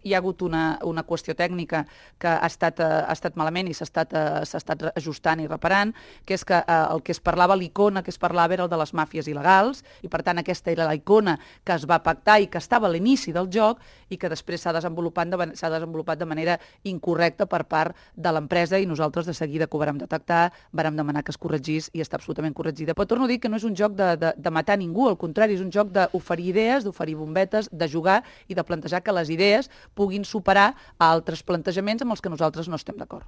hi ha hagut una qüestió tècnica que ha estat malament i s'ha estat ajustant i reparant, que és que el que es parlava, l'icona que es parlava era el de les màfies il·legals, i per tant aquesta era la icona que es va pactar i que estava a l'inici del joc i que després s'ha desenvolupat de manera incorrecta per part de l'empresa, i nosaltres de seguida que ho vàrem detectar vàrem demanar que es corregís i està absolutament corregida. Però torno a dir que no és un joc de matar ningú, al contrari, és un joc d'oferir idees, d'oferir bombetes, de jugar i de plantejar que les idees puguin superar altres plantejaments amb els que nosaltres no estem d'acord.